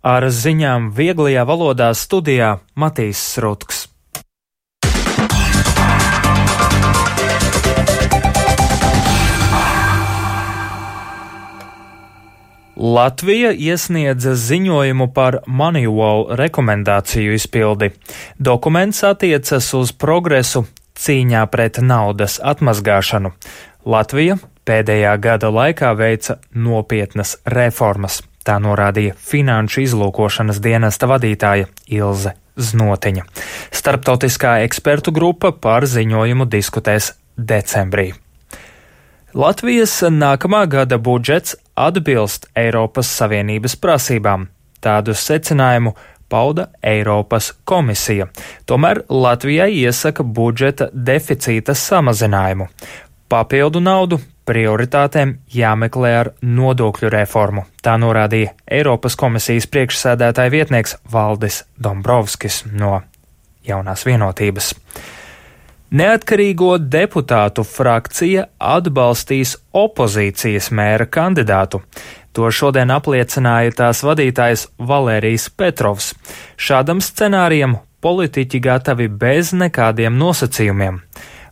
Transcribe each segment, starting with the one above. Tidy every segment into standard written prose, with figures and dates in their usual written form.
Ar ziņām vieglajā valodā studijā Matīs Srutks. Latvija iesniedza ziņojumu par Moneywall rekomendāciju izpildi. Dokuments attiecas uz progresu cīņā pret naudas atmazgāšanu. Latvija pēdējā gada laikā veica nopietnas reformas. Tā norādīja Finanšu izlūkošanas dienesta vadītāja Ilze Znotiņa. Starptautiskā ekspertu grupa par ziņojumu diskutēs decembrī. Latvijas nākamā gada budžets atbilst Eiropas Savienības prasībām. Tādu secinājumu pauda Eiropas komisija. Tomēr Latvijai iesaka budžeta deficīta samazinājumu. Papildu naudu prioritātēm jāmeklē ar nodokļu reformu. Tā norādīja Eiropas komisijas priekšsēdētāja vietnieks Valdis Dombrovskis no Jaunās vienotības. Neatkarīgo deputātu frakcija atbalstīs opozīcijas mēra kandidātu. To šodien apliecināja tās vadītājs Valērijs Petrovs. Šādam scenārijam politiķi gatavi bez nekādiem nosacījumiem.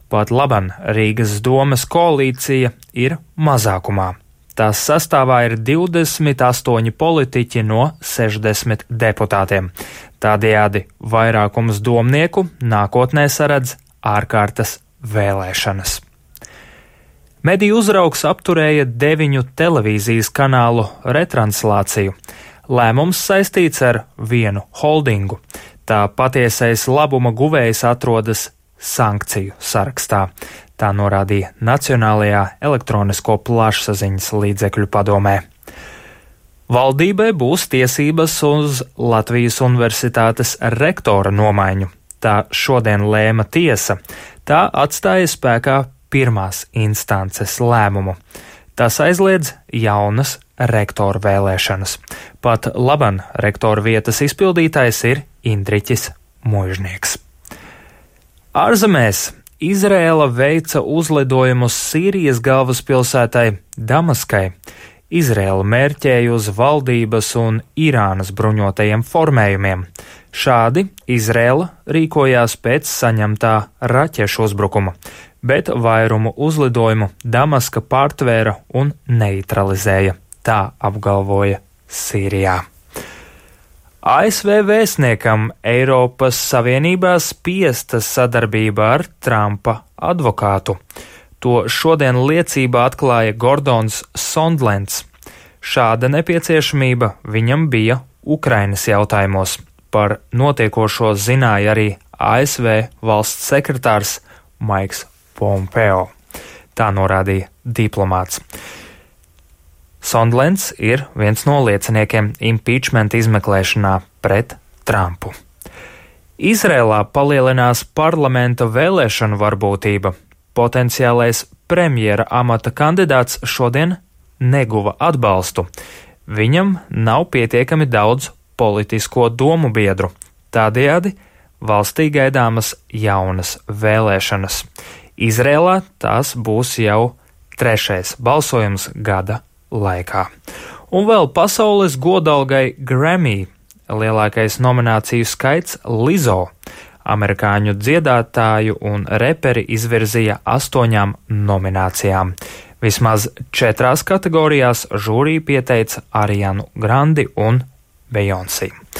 Pat laban Rīgas domes koalīcija ir mazākumā. Tās sastāvā ir 28 politiķi no 60 deputātiem. Tādējādi vairākums domnieku nākotnē saredz ārkārtas vēlēšanas. Mediju uzraugs apturēja 9 televīzijas kanālu retranslāciju. Lēmums saistīts ar vienu holdingu. Tā patiesais labuma guvējs atrodas sankciju sarakstā. Tā norādīja Nacionālajā elektronisko plašsaziņas līdzekļu padomē. Valdībai būs tiesības uz Latvijas Universitātes rektora nomaiņu. Tā šodien lēma tiesa. Tā atstāja spēkā pirmās instances lēmumu. Tas aizliedz jaunas rektora vēlēšanas. Pat laban rektora vietas izpildītājs ir Indriķis Muižnieks. Ārzemēs Izraēla veica uzlidojumus Sīrijas galvaspilsētai Damaskai. Izraēla mērķēja uz valdības un Irānas bruņotajiem formējumiem. Šādi Izraēla rīkojās pēc saņemtā raķešu uzbrukuma, bet vairumu uzlidojumu Damaska pārtvēra un neutralizēja. Tā apgalvoja Sīrijā. ASV vēstniekam Eiropas Savienībā spiesta sadarbība ar Trumpa advokātu. To šodien liecībā atklāja Gordons Sondlends. Šāda nepieciešamība viņam bija Ukrainas jautājumos. Par notiekošo zināja arī ASV valsts sekretārs Maiks Pompeo. Tā norādīja diplomāts. Sondlends ir viens no lieciniekiem impeachment izmeklēšanā pret Trumpu. Izrēlā palielinās parlamenta vēlēšanu varbūtība. Potenciālais premjera amata kandidāts šodien neguva atbalstu. Viņam nav pietiekami daudz politisko domu biedru. Tādējādi valstī gaidāmas jaunas vēlēšanas. Izrēlā tās būs jau 3. balsojums gada laikā. Un vēl pasaules godalgai Grammy lielākais nomināciju skaits Lizzo. Amerikāņu dziedātāju un reperi izvirzīja 8 nominācijām. Vismaz 4 kategorijās žūrija pieteica Arianu Grandi un Beyoncé.